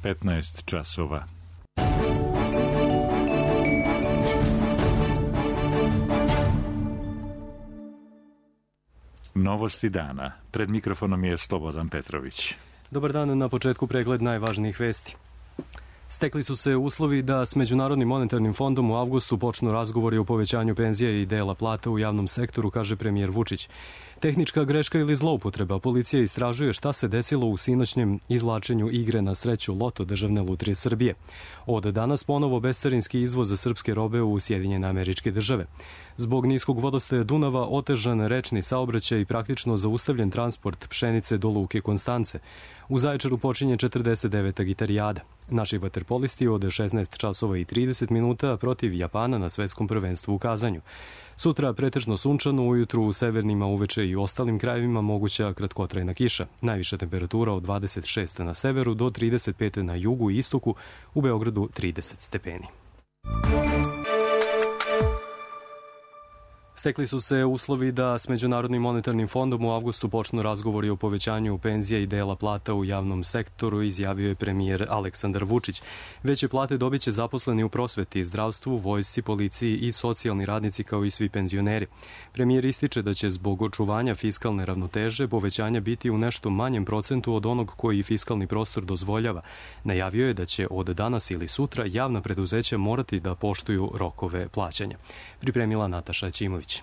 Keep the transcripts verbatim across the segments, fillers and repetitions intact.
petnaest časova. Novosti dana. Pred mikrofonom je Slobodan Petrović. Dobar dan, na početku pregled najvažnijih vesti. Stekli su se uslovi da s Međunarodnim monetarnim fondom u avgustu počnu razgovori o povećanju penzija i dela plata u javnom sektoru, kaže premijer Vučić. Tehnička greška ili zloupotreba, policija istražuje šta se desilo u sinoćnjem izvlačenju igre na sreću Loto Državne lutrije Srbije. Od danas ponovo bescarinski izvoz za srpske robe u Sjedinjene Američke Države. Zbog niskog vodostaja Dunava otežan rečni saobraćaj i praktično zaustavljen transport pšenice do luke Konstance. U Zaječaru počinje četrdeset deveta gitarijada. Naši vaterpolisti od šesnaest časova i trideset minuta protiv Japana na svetskom prvenstvu u Kazanju. Sutra pretežno sunčano, ujutru u severnima, uveče i ostalim krajevima moguća kratkotrajna kiša. Najviša temperatura od dvadeset šest na severu do trideset pet na jugu i istoku, u Beogradu trideset stepeni. Stekli su se uslovi da s Međunarodnim monetarnim fondom u avgustu počnu razgovori o povećanju penzija i dela plata u javnom sektoru, izjavio je premijer Aleksandar Vučić. Veće plate dobit će zaposleni u prosveti, zdravstvu, vojsci, policiji i socijalni radnici kao i svi penzioneri. Premijer ističe da će zbog očuvanja fiskalne ravnoteže povećanja biti u nešto manjem procentu od onog koji fiskalni prostor dozvoljava. Najavio je da će od danas ili sutra javna preduzeća morati da poštuju rokove plaćanja. Pripremila Nataša Ćimović.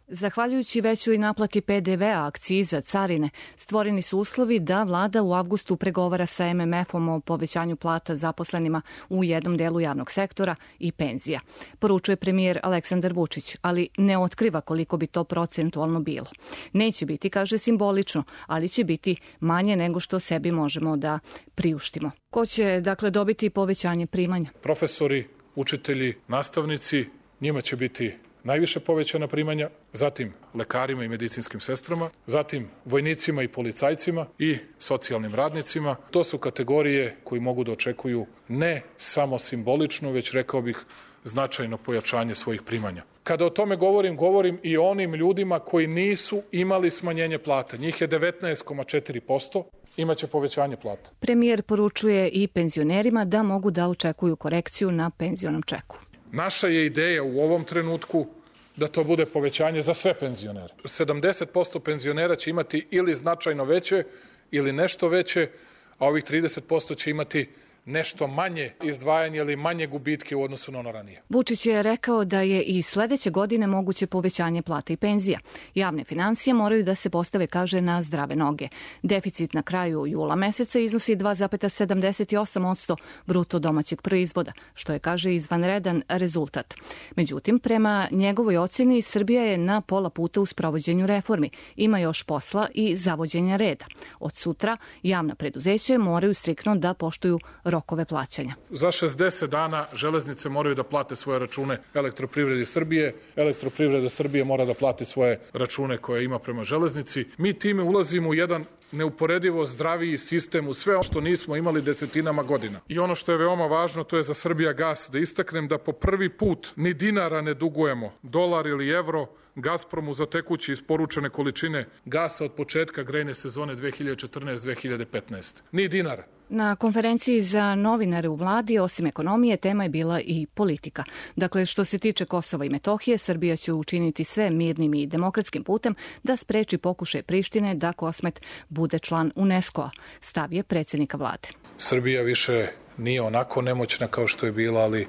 Zahvaljujući većoj naplati pe de ve a, akciza, carine, stvoreni su uslovi da vlada u avgustu pregovara sa em em efom o povećanju plata zaposlenima u jednom delu javnog sektora i penzija. Poručuje premijer Aleksandar Vučić, ali ne otkriva koliko bi to procentualno bilo. Neće biti, kaže, simbolično, ali će biti manje nego što sebi možemo da priuštimo. Ko će, dakle, dobiti povećanje primanja? Profesori, učitelji, nastavnici, njima će biti najviše povećana primanja, zatim lekarima i medicinskim sestrama, zatim vojnicima i policajcima i socijalnim radnicima. To su kategorije koji mogu da očekuju ne samo simbolično, već rekao bih značajno pojačanje svojih primanja. Kada o tome govorim, govorim i o onim ljudima koji nisu imali smanjenje plata. Njih je devetnaest zarez četiri posto. Imaće povećanje plata. Premijer poručuje i penzionerima da mogu da očekuju korekciju na penzionom čeku. Naša je ideja u ovom trenutku da to bude povećanje za sve penzionere. sedamdeset posto penzionera će imati ili značajno veće ili nešto veće, a ovih trideset posto će imati nešto manje izdvajanje ili manje gubitke u odnosu na ono ranije. Vučić je rekao da je i sledeće godine moguće povećanje plata i penzija. Javne finansije moraju da se postave, kaže, na zdrave noge. Deficit na kraju jula meseca iznosi dva zarez sedamdeset osam posto bruto domaćeg proizvoda, što je, kaže, izvanredan rezultat. Međutim, prema njegovoj oceni, Srbija je na pola puta u sprovođenju reformi. Ima još posla i zavođenja reda. Od sutra javna preduzeća moraju striktno da poštuju rokove plaćanja. Za šezdeset dana železnice moraju da plate svoje račune Elektroprivredi Srbije. Elektroprivreda Srbije mora da plati svoje račune koje ima prema železnici. Mi time ulazimo u jedan neuporedivo zdraviji sistem u sve ono što nismo imali desetinama godina. I ono što je veoma važno, to je za Srbijagas da istaknem da po prvi put ni dinara ne dugujemo, dolar ili evro, Gazpromu za tekuće isporučene količine gasa od početka grejne sezone dve hiljade četrnaeste dve hiljade petnaeste. Ni dinara. Na konferenciji za novinare u vladi, osim ekonomije, tema je bila i politika. Dakle, što se tiče Kosova i Metohije, Srbija će učiniti sve mirnim i demokratskim putem da spreči pokušaj Prištine da Kosmet bude član UNESCO-a, stav je predsjednika vlade. Srbija više nije onako nemoćna kao što je bila, ali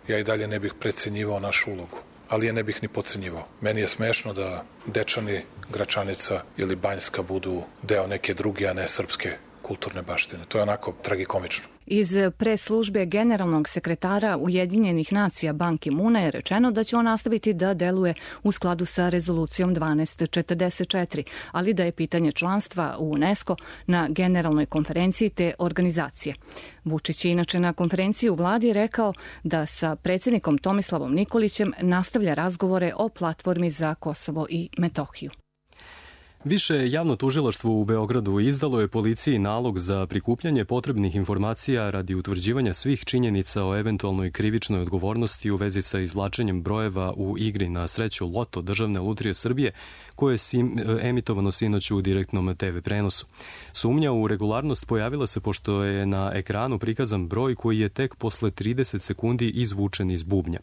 ja i dalje ne bih precenjivao našu ulogu. Ali je ne bih ni podcenjivao. Meni je smešno da Dečani, Gračanica ili Banjska budu deo neke druge, a ne srpske kulturne baštine. To je onako tragikomično. Iz pres službe generalnog sekretara Ujedinjenih nacija Ban Ki-muna je rečeno da će on nastaviti da deluje u skladu sa rezolucijom dvanaest četrdeset četiri, ali da je pitanje članstva u UNESCO na generalnoj konferenciji te organizacije. Vučić je inače na konferenciji u vladi rekao da sa predsjednikom Tomislavom Nikolićem nastavlja razgovore o platformi za Kosovo i Metohiju. Više javno tužilaštvo u Beogradu izdalo je policiji nalog za prikupljanje potrebnih informacija radi utvrđivanja svih činjenica o eventualnoj krivičnoj odgovornosti u vezi sa izvlačenjem brojeva u igri na sreću Loto Državne lutrije Srbije, koje je sim, emitovano sinoć u direktnom te ve prenosu. Sumnja u regularnost pojavila se pošto je na ekranu prikazan broj koji je tek posle trideset sekundi izvučen iz bubnja.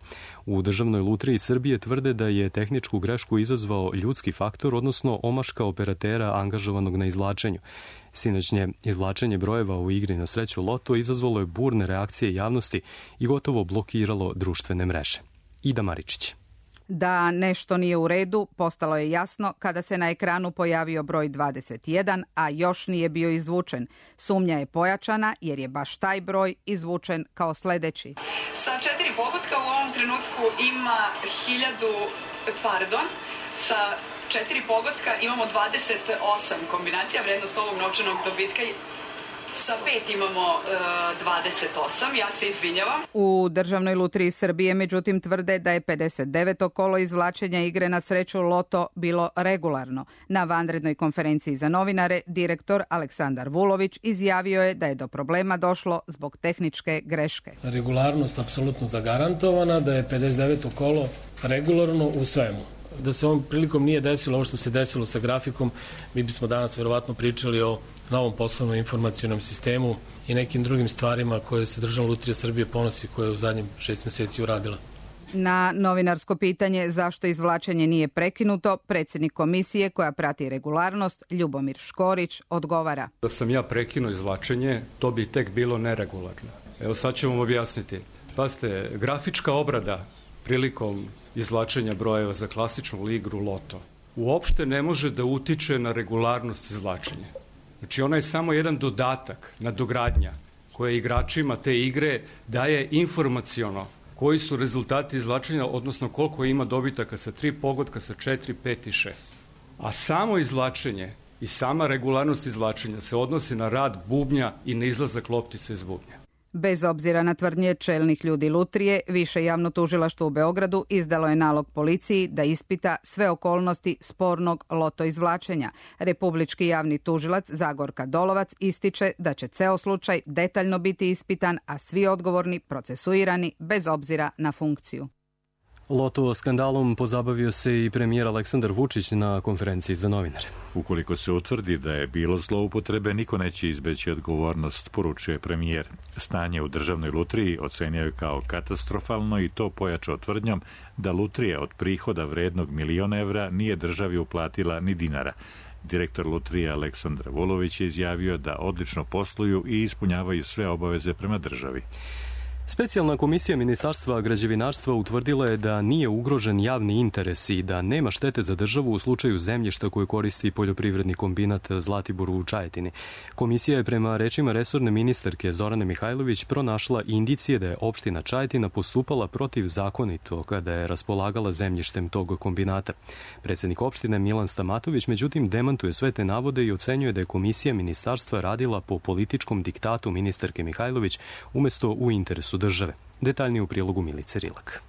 U Državnoj lutriji Srbije tvrde da je tehničku grešku izazvao ljudski faktor, odnosno omaška operatera angažovanog na izvlačenju. Sinoćnje izvlačenje brojeva u igri na sreću Loto izazvalo je burne reakcije javnosti i gotovo blokiralo društvene mreže. Ida Maričić. Da nešto nije u redu postalo je jasno kada se na ekranu pojavio broj dvadeset jedan, a još nije bio izvučen. Sumnja je pojačana jer je baš taj broj izvučen kao sledeći. Sa četiri pogotka u ovom trenutku ima hiljadu, pardon, sa četiri pogotka imamo dvadeset osam kombinacija, vrednost ovog novčanog dobitka. Sa pet imamo e, dvadeset osam, ja se izvinjavam. U Državnoj lutriji Srbije međutim tvrde da je pedeset deveto kolo izvlačenja igre na sreću Loto bilo regularno. Na vanrednoj konferenciji za novinare direktor Aleksandar Vulović izjavio je da je do problema došlo zbog tehničke greške. Regularnost apsolutno zagarantovana, da je pedeset deveto kolo regularno u svemu. Da se ovom prilikom nije desilo ovo što se desilo sa grafikom, mi bismo danas verovatno pričali o novom poslovnom informacionom sistemu i nekim drugim stvarima koje se Državna lutrija Srbije ponosi, koje je u zadnjim šest meseci uradila. Na novinarsko pitanje zašto izvlačenje nije prekinuto, predsjednik komisije koja prati regularnost, Ljubomir Škorić, odgovara. Da sam ja prekinuo izvlačenje, to bi tek bilo neregularno. Evo sad ću vam objasniti. Pazite, grafička obrada prilikom izvlačenja brojeva za klasičnu igru Loto uopšte ne može da utiče na regularnost izvlačenja. Znači ona je samo jedan dodatak, nadogradnja koja igračima te igre daje informaciono koji su rezultati izvlačenja, odnosno koliko ima dobitaka sa tri pogotka, sa četiri, pet i šest. A samo izvlačenje i sama regularnost izvlačenja se odnosi na rad bubnja i na izlazak loptice iz bubnja. Bez obzira na tvrdnje čelnih ljudi lutrije, Više javno tužilaštvo u Beogradu izdalo je nalog policiji da ispita sve okolnosti spornog loto izvlačenja. Republički javni tužilac Zagorka Dolovac ističe da će ceo slučaj detaljno biti ispitan, a svi odgovorni procesuirani bez obzira na funkciju. Loto skandalom pozabavio se i premijer Aleksandar Vučić na konferenciji za novinare. Ukoliko se utvrdi da je bilo zloupotrebe, niko neće izbeći odgovornost, poručuje premijer. Stanje u Državnoj lutriji ocenio je kao katastrofalno i to pojačao tvrdnjom da lutrija od prihoda vrednog miliona evra nije državi uplatila ni dinara. Direktor lutrije Aleksandar Vulović je izjavio da odlično posluju i ispunjavaju sve obaveze prema državi. Specijalna komisija Ministarstva građevinarstva utvrdila je da nije ugrožen javni interes i da nema štete za državu u slučaju zemljišta koje koristi poljoprivredni kombinat Zlatibor u Čajetini. Komisija je prema rečima resorne ministarke Zorane Mihajlović pronašla indicije da je opština Čajetina postupala protivzakonito kada je raspolagala zemljištem tog kombinata. Predsednik opštine Milan Stamatović međutim demantuje sve te navode i ocenjuje da je komisija ministarstva radila po političkom diktatu ministarke Mihajlović umesto u interesu države. Detaljnije u prilogu Milice Rilak.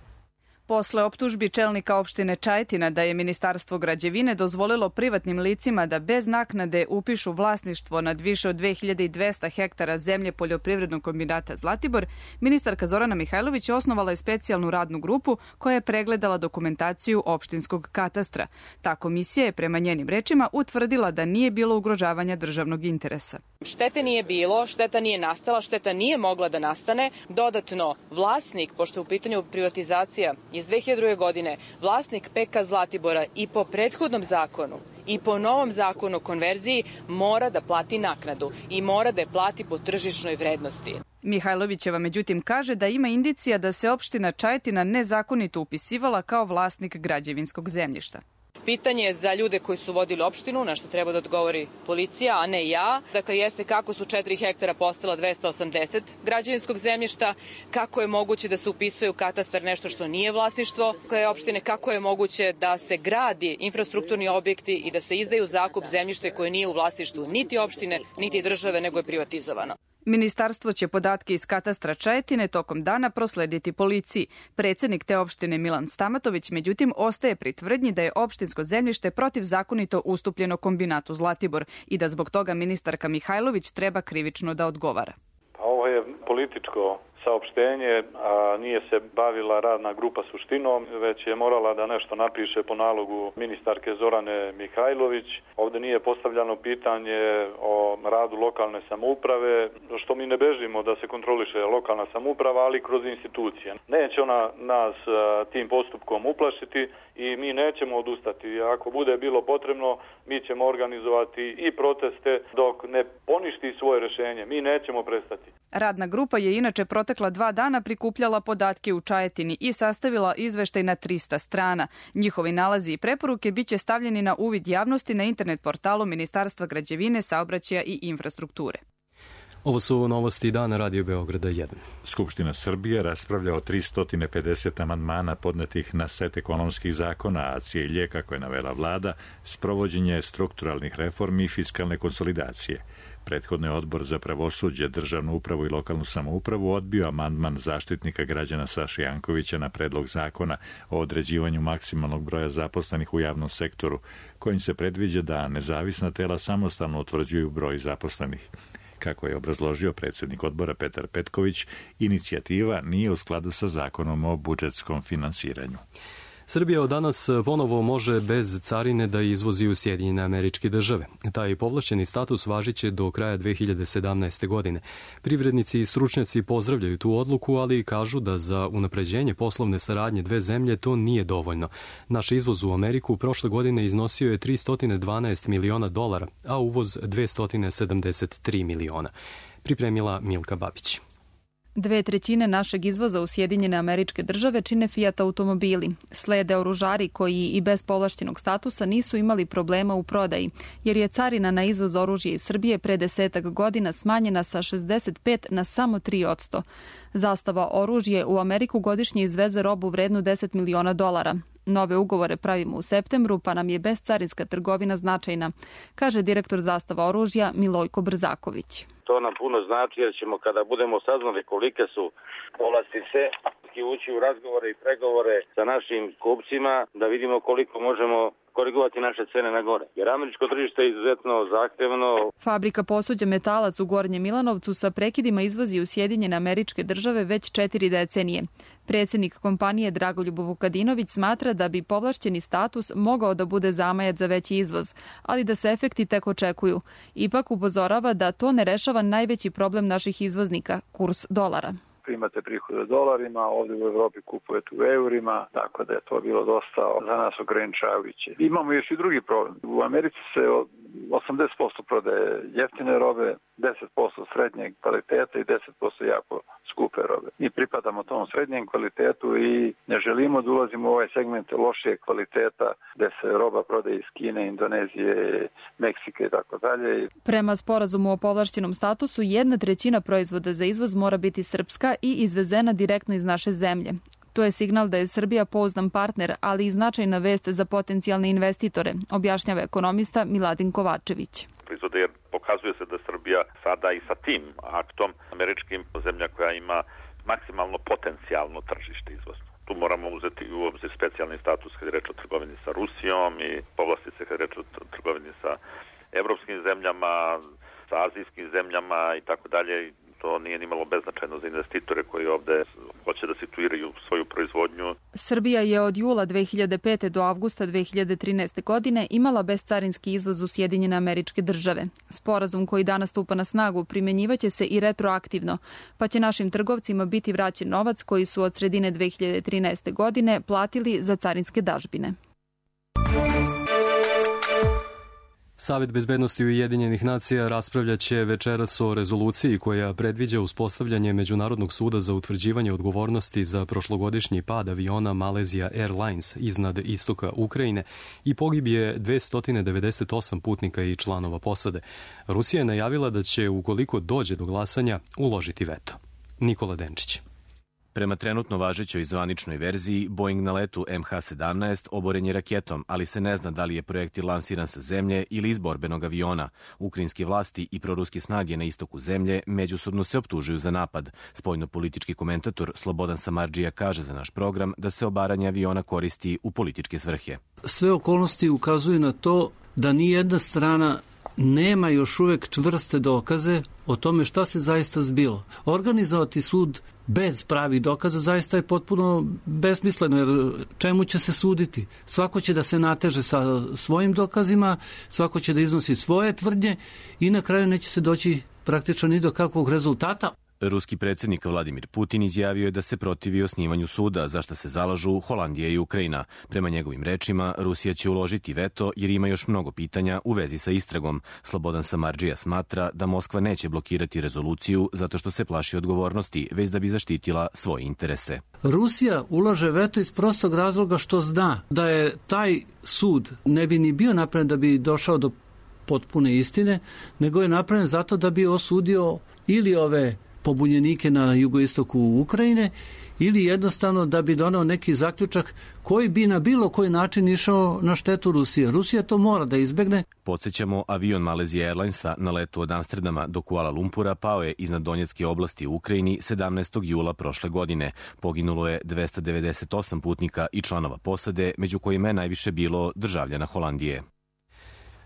Posle optužbi čelnika opštine Čajetina da je Ministarstvo građevine dozvolilo privatnim licima da bez naknade upišu vlasništvo nad više od dve hiljade dvesta hektara zemlje poljoprivrednog kombinata Zlatibor, ministarka Zorana Mihajlović osnovala je specijalnu radnu grupu koja je pregledala dokumentaciju opštinskog katastra. Ta komisija je prema njenim rečima utvrdila da nije bilo ugrožavanja državnog interesa. Štete nije bilo, šteta nije nastala, šteta nije mogla da nastane. Dodatno, vlasnik, pošto je u pitanju privatizacija iz dve hiljade druge. godine, vlasnik P K Zlatibora i po prethodnom zakonu i po novom zakonu o konverziji mora da plati naknadu i mora da je plati po tržišnoj vrednosti. Mihajlovićeva međutim kaže da ima indicija da se opština Čajetina nezakonito upisivala kao vlasnik građevinskog zemljišta. Pitanje je za ljude koji su vodili opštinu, na što treba da odgovori policija, a ne ja. Dakle, jeste kako su četiri hektara postala dvesta osamdeset građevinskog zemljišta, kako je moguće da se upisuje u katastar nešto što nije vlasništvo koje opštine, kako je moguće da se gradi infrastrukturni objekti i da se izdaju zakup zemljište koje nije u vlasništvu niti opštine, niti države, nego je privatizovano. Ministarstvo će podatke iz katastra Čajetine tokom dana proslediti policiji. Predsednik te opštine Milan Stamatović međutim ostaje pri tvrdnji da je opštinsko zemljište protivzakonito ustupljeno kombinatu Zlatibor i da zbog toga ministarka Mihajlović treba krivično da odgovara. Pa ovo je političko saopštenje, a nije se bavila radna grupa suštinom, već je morala da nešto napiše po nalogu ministarke Zorane Mihajlović. Ovde nije postavljano pitanje o radu lokalne samouprave, što mi ne bežimo da se kontroliše lokalna samouprava, ali kroz institucije. Neće ona nas tim postupkom uplašiti i mi nećemo odustati. Ako bude bilo potrebno, mi ćemo organizovati i proteste dok ne poništi svoje rešenje. Mi nećemo prestati. Radna grupa je inače protekla dva dana prikupljala podatke u Čajetini i sastavila izveštaj na trista strana. Njihovi nalazi i preporuke biće stavljeni na uvid javnosti na internet portalu Ministarstva građevine, saobraćaja i infrastrukture. Ovo su novosti dana Radio Beograda jedan. Skupština Srbije raspravlja o tristo pedeset amandmana podnetih na set ekonomskih zakona, a cilj je, kako je navela vlada, sprovođenje strukturalnih reformi i fiskalne konsolidacije. Prethodno je Odbor za pravosuđe, državnu upravu i lokalnu samoupravu odbio amandman zaštitnika građana Saše Jankovića na predlog zakona o određivanju maksimalnog broja zaposlenih u javnom sektoru, kojim se predviđa da nezavisna tela samostalno utvrđuju broj zaposlenih. Kako je obrazložio predsednik odbora Petar Petković, inicijativa nije u skladu sa zakonom o budžetskom finansiranju. Srbija od danas ponovo može bez carine da izvozi u Sjedinjene Američke Države. Taj povlašćeni status važiće do kraja dve hiljade sedamnaeste. godine. Privrednici i stručnjaci pozdravljaju tu odluku, ali kažu da za unapređenje poslovne saradnje dve zemlje to nije dovoljno. Naš izvoz u Ameriku prošle godine iznosio je tristo dvanaest miliona dolara, a uvoz dvesta sedamdeset tri miliona. Pripremila Milka Babić. Dve trećine našeg izvoza u Sjedinjene Američke Države čine Fiat automobili. Slede oružari koji i bez povlašćenog statusa nisu imali problema u prodaji, jer je carina na izvoz oružja iz Srbije pre desetak godina smanjena sa šezdeset pet na samo tri posto. Zastava oružje u Ameriku godišnje izveze robu vrednu deset miliona dolara. Nove ugovore pravimo u septembru, pa nam je bezcarinska trgovina značajna, kaže direktor Zastava oružja Milojko Brzaković. To nam puno znači jer ćemo kada budemo saznali kolike su povlastice ući u razgovore i pregovore sa našim kupcima da vidimo koliko možemo korigovati naše cene na gore. Jer američko tržište je izuzetno zahtevno. Fabrika posuđa Metalac u Gornjem Milanovcu sa prekidima izvozi u Sjedinjene Američke Države već četiri decenije. Predsjednik kompanije Dragoljub Vukadinović smatra da bi povlašćeni status mogao da bude zamajac za veći izvoz, ali da se efekti tek očekuju. Ipak upozorava da to ne rešava najveći problem naših izvoznika, kurs dolara. Imate prihode u dolarima, ovdje u Evropi kupujete u eurima, tako da je to bilo dosta za nas ograničavajuće. Imamo još i drugi problem. U Americi se osamdeset posto prodaje jeftine robe, deset posto srednjeg kvaliteta i deset posto jako skupe robe. Mi pripadamo tom srednjem kvalitetu i ne želimo da ulazimo u ovaj segment lošije kvaliteta gde se roba prodaje iz Kine, Indonezije, Meksike i tako dalje. Prema sporazumu o povlašćenom statusu, jedna trećina proizvoda za izvoz mora biti srpska i izvezena direktno iz naše zemlje. To je signal da je Srbija pouzdan partner, ali i značajna vest za potencijalne investitore, objašnjava ekonomista Miladin Kovačević. Proizvode jer pokazuje se da Srbija sada i sa tim aktom američkim zemlja koja ima maksimalno potencijalno tržište izvozno. Tu moramo uzeti u obzir specijalni status kad je reč o trgovini sa Rusijom i povlastice kad je reč o trgovini sa evropskim zemljama, sa azijskim zemljama i tako dalje. To nije nimalo beznačajno za investitore koji ovde hoće da situiraju svoju proizvodnju. Srbija je od jula dve hiljade pete. do avgusta dve hiljade trinaeste. godine imala bezcarinski izvoz u Sjedinjene Američke Države. Sporazum koji danas stupa na snagu primjenjivaće se i retroaktivno, pa će našim trgovcima biti vraćen novac koji su od sredine dve hiljade trinaeste. godine platili za carinske dažbine. Savet bezbednosti Ujedinjenih nacija raspravljaće večeras o rezoluciji koja predviđa uspostavljanje Međunarodnog suda za utvrđivanje odgovornosti za prošlogodišnji pad aviona Malaysia Airlines iznad istoka Ukrajine i pogibije dvesta devedeset osam putnika i članova posade. Rusija je najavila da će, ukoliko dođe do glasanja, uložiti veto. Nikola Denčić. Prema trenutno važećoj zvaničnoj verziji, Boeing na letu em ha sedamnaest oboren je raketom, ali se ne zna da li je projektil lansiran sa zemlje ili iz borbenog aviona. Ukrajinske vlasti i proruske snage na istoku zemlje međusobno se optužuju za napad. Spoljno-politički komentator Slobodan Samardžija kaže za naš program da se obaranje aviona koristi u političke svrhe. Sve okolnosti ukazuju na to da ni jedna strana nema još uvek čvrste dokaze o tome šta se zaista zbilo. Organizovati sud bez pravih dokaza zaista je potpuno besmisleno, jer čemu će se suditi? Svako će da se nateže sa svojim dokazima, svako će da iznosi svoje tvrdnje i na kraju neće se doći praktično ni do kakvog rezultata. Ruski predsjednik Vladimir Putin izjavio je da se protivi osnivanju suda, za što se zalažu Holandija i Ukrajina. Prema njegovim rečima, Rusija će uložiti veto jer ima još mnogo pitanja u vezi sa istragom. Slobodan Samardžija smatra da Moskva neće blokirati rezoluciju zato što se plaši odgovornosti, već da bi zaštitila svoje interese. Rusija ulaže veto iz prostog razloga što zna da je taj sud ne bi ni bio napravljen da bi došao do potpune istine, nego je napravljen zato da bi osudio ili ove pobunjenike na jugoistoku Ukrajine ili jednostavno da bi doneo neki zaključak koji bi na bilo koji način išao na štetu Rusije. Rusija to mora da izbegne. Podsjećamo, avion Malaysia Airlinesa na letu od Amsterdama do Kuala Lumpura pao je iznad Donjetske oblasti u Ukrajini sedamnaestog jula prošle godine. Poginulo je dvesta devedeset osam putnika i članova posade, među kojima je najviše bilo državljana Holandije.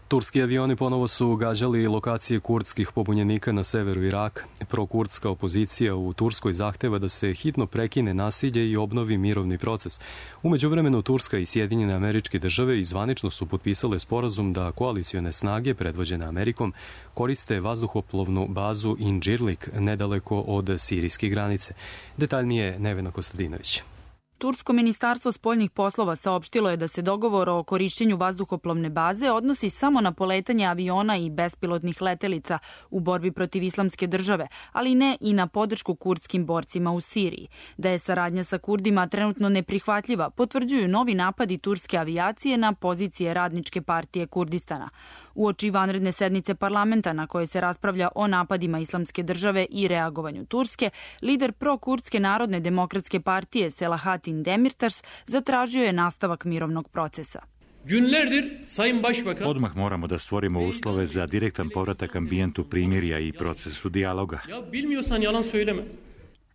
Turski avioni ponovo su gađali lokacije kurdskih pobunjenika na severu Iraka. Prokurdska opozicija u Turskoj zahteva da se hitno prekine nasilje i obnovi mirovni proces. U međuvremenu Turska i Sjedinjene Američke Države zvanično su potpisale sporazum da koalicione snage predvođene Amerikom koriste vazduhoplovnu bazu Incirlik nedaleko od sirijske granice. Detaljnije Nevena Kostadinović. Tursko ministarstvo spoljnih poslova saopštilo je da se dogovor o korišćenju vazduhoplovne baze odnosi samo na poletanje aviona i bespilotnih letelica u borbi protiv islamske države, ali ne i na podršku kurdskim borcima u Siriji. Da je saradnja sa Kurdima trenutno neprihvatljiva, potvrđuju novi napadi turske avijacije na pozicije Radničke partije Kurdistana. Uoči vanredne sednice parlamenta na kojoj se raspravlja o napadima islamske države i reagovanju Turske, lider pro-kurdske narodne demokratske partije Selahattin Demirtas zatražio je nastavak mirovnog procesa. Odmah moramo da stvorimo uslove za direktan povratak ambijentu primirja i procesu dijaloga.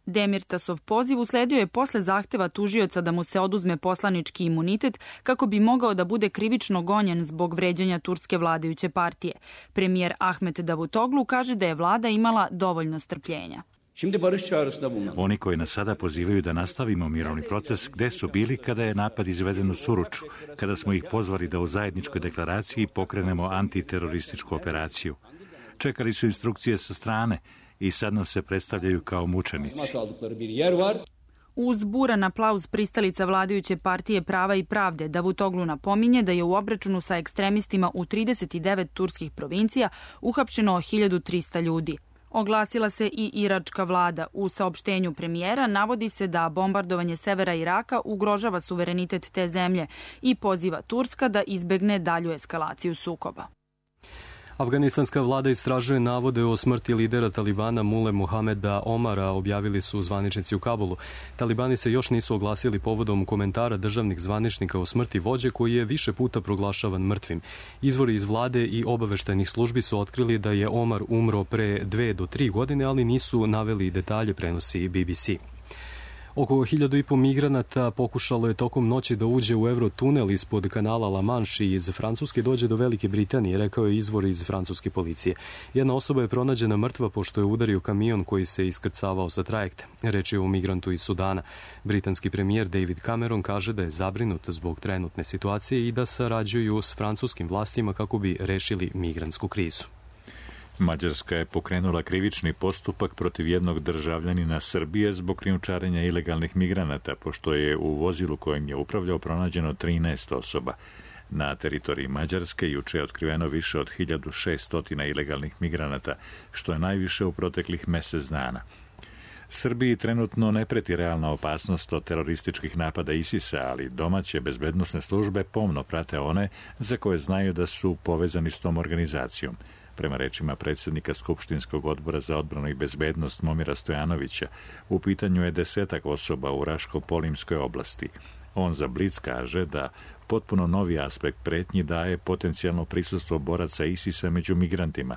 Demirtasov poziv usledio je posle zahteva tužioca da mu se oduzme poslanički imunitet kako bi mogao da bude krivično gonjen zbog vređanja turske vladajuće partije. Premijer Ahmet Davutoglu kaže da je vlada imala dovoljno strpljenja. Oni koji nas sada pozivaju da nastavimo mirovni proces, gde su bili kada je napad izveden u Suruču, kada smo ih pozvali da u zajedničkoj deklaraciji pokrenemo antiterorističku operaciju. Čekali su instrukcije sa strane i sad nam se predstavljaju kao mučenici. Uz buran aplauz pristalica vladajuće partije Prava i pravde, Davutoglu napominje da je u obračunu sa ekstremistima u trideset devet turskih provincija uhapšeno hiljadu trista ljudi. Oglasila se i iračka vlada. U saopštenju premijera navodi se da bombardovanje severa Iraka ugrožava suverenitet te zemlje i poziva Turska da izbegne dalju eskalaciju sukoba. Afganistanska vlada istražuje navode o smrti lidera Talibana Mule Mohameda Omara, objavili su zvaničnici u Kabulu. Talibani se još nisu oglasili povodom komentara državnih zvaničnika o smrti vođe koji je više puta proglašavan mrtvim. Izvori iz vlade i obaveštajnih službi su otkrili da je Omar umro pre dve do tri godine, ali nisu naveli detalje, prenosi B B C. Oko hiljadu i po migranata pokušalo je tokom noći da uđe u Eurotunel ispod kanala La Manche i iz Francuske dođe do Velike Britanije, rekao je izvor iz francuske policije. Jedna osoba je pronađena mrtva pošto je udario kamion koji se iskrcavao sa trajekta. Reč je o migrantu iz Sudana. Britanski premijer David Cameron kaže da je zabrinut zbog trenutne situacije i da sarađuju s francuskim vlastima kako bi rešili migrantsku krizu. Mađarska je pokrenula krivični postupak protiv jednog državljanina Srbije zbog krijumčarenja ilegalnih migranata, pošto je u vozilu kojim je upravljao pronađeno trinaest osoba. Na teritoriji Mađarske juče je otkriveno više od hiljadu šesto ilegalnih migranata, što je najviše u proteklih mesec dana. Srbiji trenutno ne preti realna opasnost od terorističkih napada ISIS-a, ali domaće bezbednosne službe pomno prate one za koje znaju da su povezani s tom organizacijom. Prema rečima predsjednika Skupštinskog odbora za odbranu i bezbednost Momira Stojanovića, u pitanju je desetak osoba u Raško-Polimskoj oblasti. On za Blic kaže da potpuno novi aspekt pretnji daje potencijalno prisustvo boraca ISIS-a među migrantima.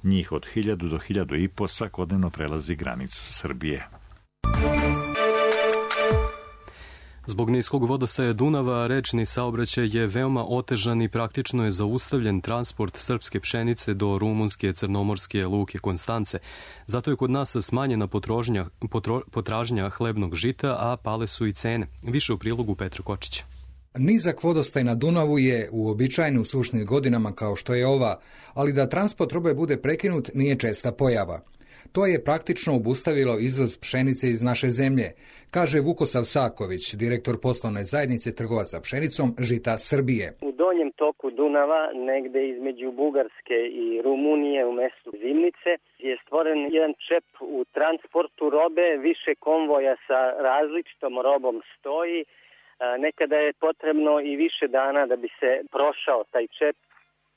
Njih od hiljadu do hiljadu i po svakodnevno prelazi granicu Srbije. Zbog niskog vodostaja Dunava, rečni saobraćaj je veoma otežan i praktično je zaustavljen transport srpske pšenice do rumunske crnomorske luke Konstance. Zato je kod nas smanjena potrožnja, potro, potražnja hlebnog žita, a pale su i cene. Više u prilogu Petra Kočića. Nizak vodostaj na Dunavu je uobičajen u sušnim godinama kao što je ova, ali da transport robe bude prekinut nije česta pojava. To je praktično obustavilo izvoz pšenice iz naše zemlje, kaže Vukosav Saković, direktor poslovne zajednice trgovaca pšenicom Žita Srbije. U donjem toku Dunava, negde između Bugarske i Rumunije u mestu Zimnice, je stvoren jedan čep u transportu robe, više konvoja sa različitom robom stoji. Nekada je potrebno i više dana da bi se prošao taj čep.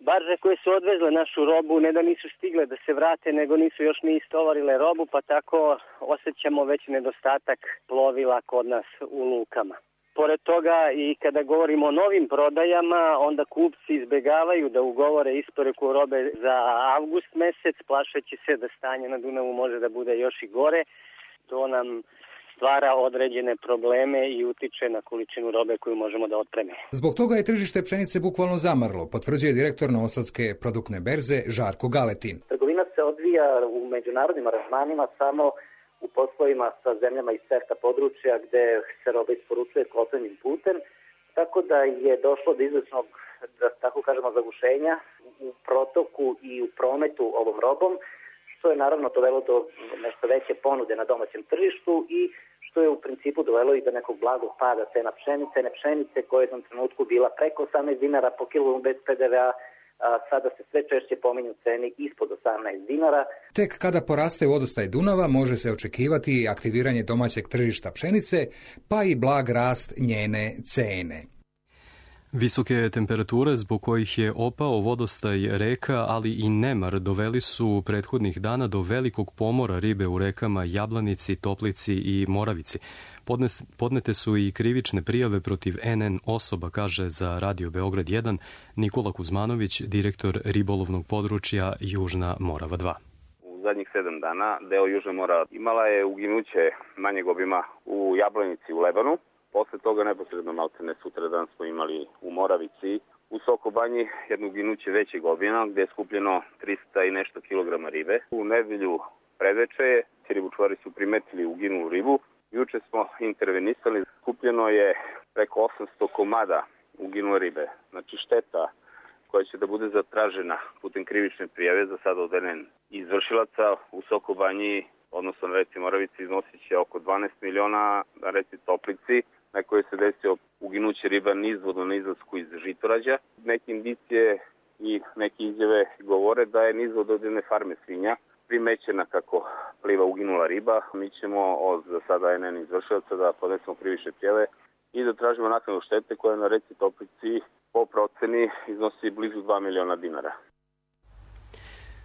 Barže koje su odvezle našu robu ne da nisu stigle da se vrate, nego nisu još ni istovarile robu, pa tako osjećamo već nedostatak plovila kod nas u lukama. Pored toga i kada govorimo o novim prodajama, onda kupci izbegavaju da ugovore isporuku robe za avgust mesec, plašeći se da stanje na Dunavu može da bude još i gore. To nam stvara određene probleme i utiče na količinu robe koju možemo da otpreme. Zbog toga je tržište pšenice bukvalno zamrlo, potvrđuje direktor Novosadske produktne berze Žarko Galetin. Trgovina se odvija u međunarodnim aranžmanima samo u poslovima sa zemljama iz CEFTA područja gde se roba isporučuje kopnenim putem, tako da je došlo do izvesnog, da tako kažemo, zagušenja u protoku i u prometu ovom robom, što je naravno dovelo do nešto veće ponude na domaćem tržištu i što je u principu dovelo i do nekog blagog pada cena pšenice, ne pšenice koja je u jednom trenutku bila preko osamnaest dinara po kilogramu bez P D V A, a sada se sve češće pominju ceni ispod osamnaest dinara. Tek kada poraste vodostaj Dunava može se očekivati aktiviranje domaćeg tržišta pšenice, pa i blag rast njene cene. Visoke temperature zbog kojih je opao vodostaj reka, ali i nemar, doveli su prethodnih dana do velikog pomora ribe u rekama Jablanici, Toplici i Moravici. Podnes, podnete su i krivične prijave protiv N N osoba, kaže za Radio Beograd jedan Nikola Kuzmanović, direktor ribolovnog područja Južna Morava dva. U zadnjih sedam dana deo Južne Morava imala je uginuće manjeg obima u Jablanici u Lebanu. Posle toga neposredno maltene sutradan smo imali u Moravici, u Sokobanji jedno uginuće većeg obima gde je skupljeno trista i nešto kilograma ribe. U nedelju predveče ribočuvari su primetili uginulu ribu. Juče smo intervenisali, skupljeno je preko osamsto komada uginule ribe. Znači šteta koja će da bude zatražena putem krivične prijave za sada od N N izvršilaca u Sokobanji, odnosno na reci Moravici, iznosit će oko dvanaest miliona, na reci Toplici, na kojoj se desio uginuće riba nizvodno na izlasku iz Žitorađa. Neke indicije i neke izjave govore da je nizvod od jedne farme svinja primećena kako pliva uginula riba. Mi ćemo od za sada N N izvršilaca da podnesemo krivične prijave i da tražimo naknadu štete koja na reci Toplici po proceni iznosi blizu dva miliona dinara.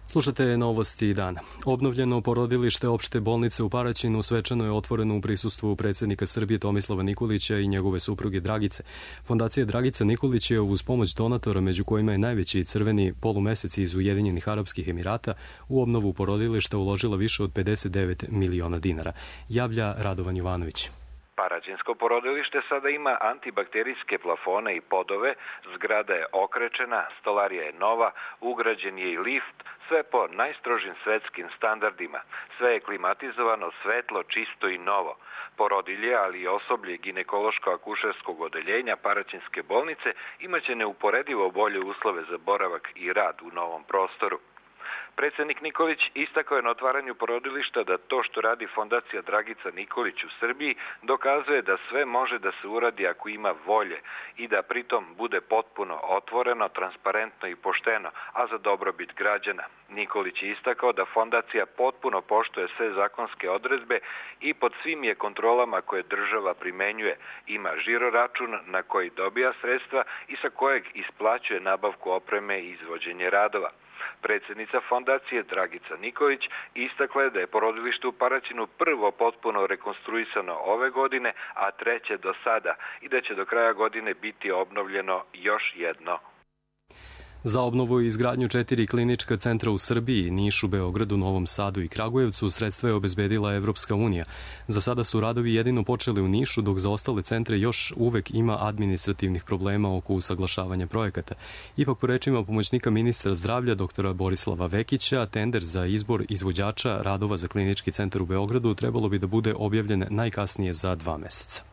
Slušate novosti dana. Obnovljeno porodilište opšte bolnice u Paraćinu svečano je otvoreno u prisustvu predsjednika Srbije Tomislava Nikolića i njegove supruge Dragice. Fondacija Dragica Nikolić je uz pomoć donatora, među kojima je najveći crveni polumesec iz Ujedinjenih Arapskih Emirata, u obnovu porodilišta uložila više od pedeset devet miliona dinara. Javlja Radovan Jovanović. Paraćinsko porodilište sada ima antibakterijske plafone i podove, zgrada je okrečena, stolarija je nova, ugrađen je i lift, sve po najstrožim svetskim standardima. Sve je klimatizovano, svetlo, čisto i novo. Porodilje, ali i osoblje ginekološko-akušerskog odeljenja Paraćinske bolnice imaće neuporedivo bolje uslove za boravak i rad u novom prostoru. Predsjednik Nikolić istakao je na otvaranju porodilišta da to što radi Fondacija Dragica Nikolić u Srbiji dokazuje da sve može da se uradi ako ima volje i da pritom bude potpuno otvoreno, transparentno i pošteno, a za dobrobit građana. Nikolić je istakao da Fondacija potpuno poštuje sve zakonske odredbe i pod svim je kontrolama koje država primenjuje. Ima žiro račun na koji dobija sredstva i sa kojeg isplaćuje nabavku opreme i izvođenje radova. Predsednica fondacije Dragica Nikolić istakla je da je porodilište u Paraćinu prvo potpuno rekonstruisano ove godine, a treće do sada i da će do kraja godine biti obnovljeno još jedno. Za obnovu i izgradnju četiri klinička centra u Srbiji, Nišu, Beogradu, Novom Sadu i Kragujevcu sredstva je obezbedila Evropska unija. Za sada su radovi jedino počeli u Nišu, dok za ostale centre još uvek ima administrativnih problema oko usaglašavanja projekata. Ipak, po rečima pomoćnika ministra zdravlja doktora Borislava Vekića, tender za izbor izvođača radova za klinički centar u Beogradu trebalo bi da bude objavljen najkasnije za dva meseca.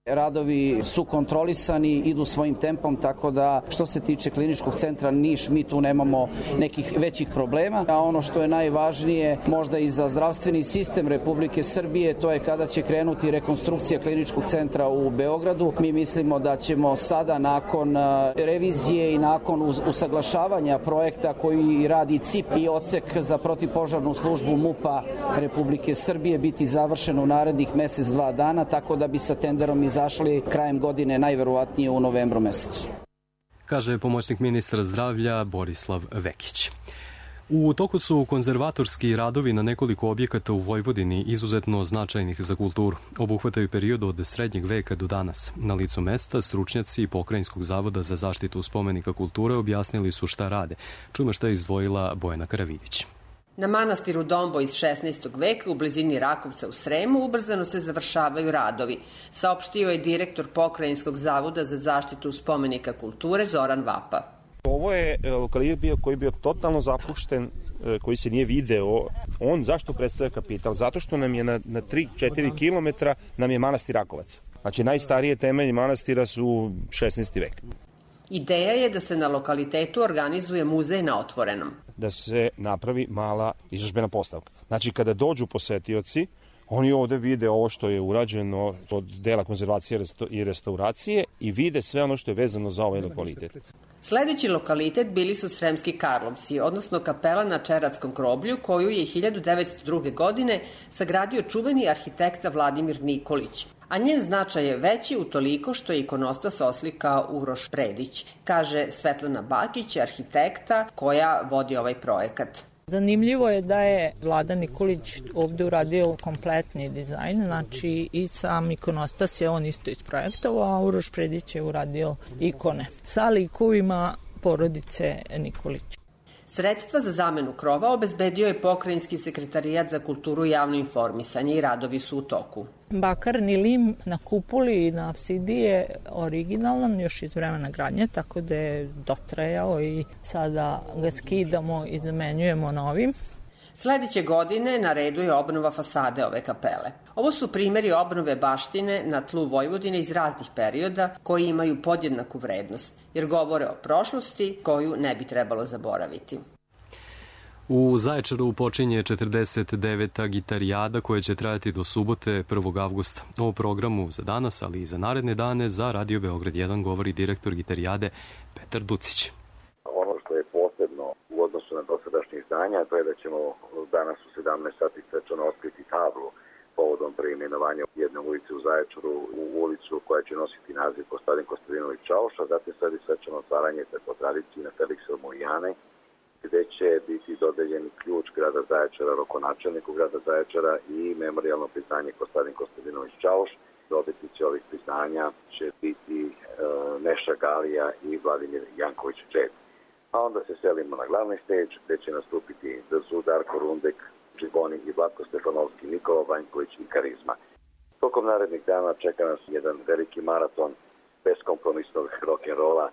Radovi su kontrolisani, idu svojim tempom, tako da što se tiče kliničkog centra Niš, mi tu nemamo nekih većih problema. A ono što je najvažnije, možda i za zdravstveni sistem Republike Srbije, to je kada će krenuti rekonstrukcija kliničkog centra u Beogradu. Mi mislimo da ćemo sada nakon revizije i nakon usaglašavanja projekta koji radi C I P i odsek za protivpožarnu službu MUP-a Republike Srbije biti završen u narednih mesec, dva dana, tako da bi sa tenderom iz zašli krajem godine, najverovatnije u novembru mesecu. Kaže pomoćnik ministra zdravlja Borislav Vekić. U toku su konzervatorski radovi na nekoliko objekata u Vojvodini izuzetno značajnih za kulturu. Obuhvataju period od srednjeg veka do danas. Na licu mesta stručnjaci Pokrajinskog zavoda za zaštitu spomenika kulture objasnili su šta rade. Čujemo šta je izdvojila Bojana Karavidić. Na manastiru Dombo iz šesnaestog veka u blizini Rakovca u Sremu ubrzano se završavaju radovi, saopštio je direktor Pokrajinskog zavoda za zaštitu spomenika kulture Zoran Vapa. Ovo je lokalitet bio koji je bio totalno zapušten, koji se nije video. On zašto predstavlja kapital? Zato što nam je na, na tri do četiri kilometra nam je manastir Rakovac. Znači najstarije temelji manastira su šesnaesti vek. Ideja je da se na lokalitetu organizuje muzej na otvorenom. Da se napravi mala izložbena postavka. Znači, kada dođu posetioci, oni ovde vide ovo što je urađeno od dela konzervacije i restauracije i vide sve ono što je vezano za ovaj lokalitet. Sledeći lokalitet bili su Sremski Karlovci, odnosno kapela na Čeratskom groblju, koju je hiljadu devetsto druge. godine sagradio čuveni arhitekta Vladimir Nikolić. A njen značaj je veći utoliko što je ikonostas oslikao Uroš Predić, kaže Svetlana Bakić, arhitekta koja vodi ovaj projekat. Zanimljivo je da je Vlada Nikolić ovde uradio kompletni dizajn, znači i sam ikonostas je on isto isprojektovao, a Uroš Predić je uradio ikone sa likovima porodice Nikolić. Sredstva za zamenu krova obezbedio je Pokrajinski sekretarijat za kulturu i javno informisanje i radovi su u toku. Bakarni lim na kupoli i na apsidi je originalan još iz vremena gradnje, tako da je dotrajao i sada ga skidamo i zamenjujemo novim. Sledeće godine na redu je obnova fasade ove kapele. Ovo su primjeri obnove baštine na tlu Vojvodine iz raznih perioda koji imaju podjednaku vrednost, jer govore o prošlosti koju ne bi trebalo zaboraviti. U Zaječaru počinje četrdeset deveta gitarijada koja će trajati do subote prvog avgusta. O programu za danas, ali i za naredne dane za Radio Beograd jedan govori direktor gitarijade Petar Ducić. Ono što je posebno u odnosu na dosadašnje izdanja, to je da ćemo danas u sedamnaest sati svečano otkriti tablu povodom preimenovanja jedne ulice u Zaječaru u ulicu koja će nositi naziv Kostadin Kostadinović Čauša, zatim sledi svečano otvaranje po tradiciji na Feliksa Mojane, gde će biti dodeljeni ključ grada Zaječara rokonačelniku grada Zaječara i memorijalno priznanje Kostadin Kostadinović Čauš. Dobitnici ovih priznanja će biti e, Neša Galija i Vladimir Janković Čet. A onda se selimo na glavni stage gde će nastupiti Dzu, Darko Rundek, Čiboni i Vlatko Stefanovski, Nikola Vanjković i Karizma. Tokom narednih dana čeka nas jedan veliki maraton beskompromisnog rock'n'rolla,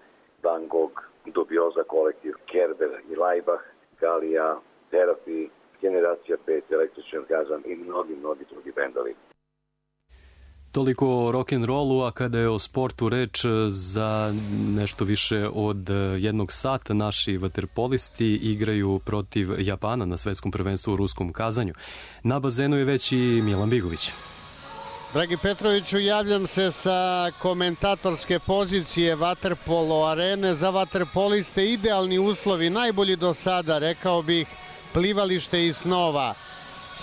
Van Gogh, Dubioza kolektiv, Kerber i Laibach, Galija, Therapy, Generacija pet, Električni orgazam i mnogi, mnogi drugi bendovi. Toliko o rock'n'rollu, a kada je o sportu reč, za nešto više od jednog sata naši vaterpolisti igraju protiv Japana na svetskom prvenstvu u ruskom Kazanju. Na bazenu je već i Milan Bigović. Dragi Petroviću, javljam se sa komentatorske pozicije vaterpolo arene. Za vaterpoliste idealni uslovi, najbolji do sada, rekao bih, plivalište iz snova.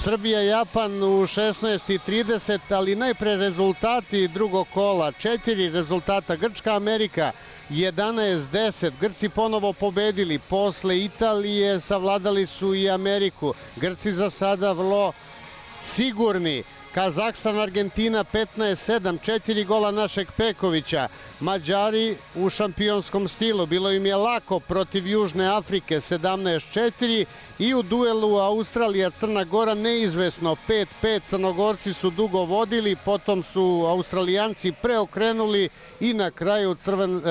Srbija-Japan u šesnaest i trideset, ali najpre rezultati drugog kola. Četiri rezultata. Grčka-Amerika jedanaest deset. Grci ponovo pobedili. Posle Italije savladali su i Ameriku. Grci za sada vrlo sigurni. Kazahstan-Argentina petnaest sedam, četiri gola našeg Pekovića. Mađari u šampionskom stilu, bilo im je lako protiv Južne Afrike sedamnaest četiri i u duelu Australija-Crna Gora neizvesno pet pet. Crnogorci su dugo vodili, potom su Australijanci preokrenuli i na kraju Crven,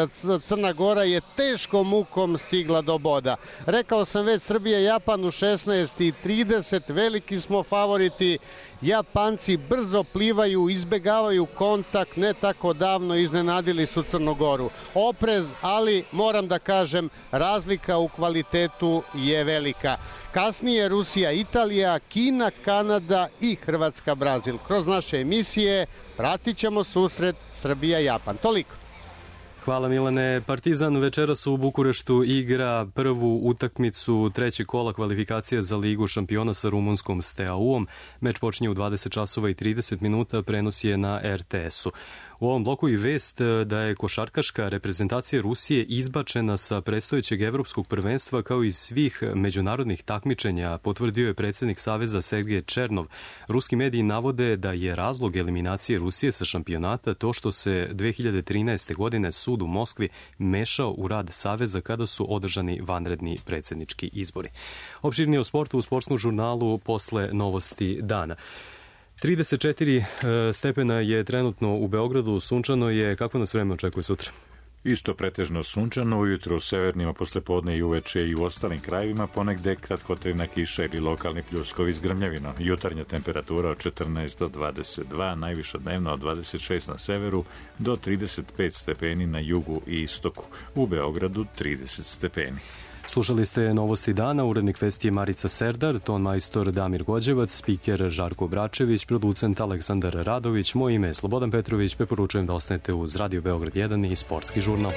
Crna Gora je teškom mukom stigla do boda. Rekao sam već, Srbija-Japan u šesnaest i trideset, veliki smo favoriti. Japanci brzo plivaju, izbegavaju kontakt, ne tako davno iznenadili su Crnogoru. Oprez, ali moram da kažem, razlika u kvalitetu je velika. Kasnije Rusija, Italija, Kina, Kanada i Hrvatska, Brazil. Kroz naše emisije pratit ćemo susret Srbija-Japan. Toliko. Hvala Milane. Partizan večeras u Bukureštu igra prvu utakmicu trećeg kola kvalifikacije za Ligu šampiona sa rumunskom Steaua-om. Meč počinje u dvadeset časova i trideset minuta, prenos je na er te esu. U ovom bloku i vest da je košarkaška reprezentacija Rusije izbačena sa predstojećeg evropskog prvenstva kao i svih međunarodnih takmičenja, potvrdio je predsjednik Saveza Sergej Černov. Ruski mediji navode da je razlog eliminacije Rusije sa šampionata to što se dve hiljade trinaeste. godine sud u Moskvi mešao u rad Saveza kada su održani vanredni predsjednički izbori. Opširnije o sportu u sportskom žurnalu posle novosti dana. trideset četiri stepena je trenutno u Beogradu, sunčano je. Kako nas vreme očekuje sutra? Isto pretežno sunčano, ujutro u severnima, poslepodne i uveče i u ostalim krajevima, ponegde kratkotrajna kiša ili lokalni pljuskovi s grmljavinom. Jutarnja temperatura od četrnaest do dvadeset dva, najviša dnevna od dvadeset šest na severu do trideset pet stepeni na jugu i istoku. U Beogradu trideset stepeni. Slušali ste novosti dana, urednik vesti je Marica Serdar, ton majstor Damir Gođevac, spiker Žarko Bračević, producent Aleksandar Radović, moje ime je Slobodan Petrović, preporučujem da ostanete uz Radio Beograd jedan i Sportski žurnal.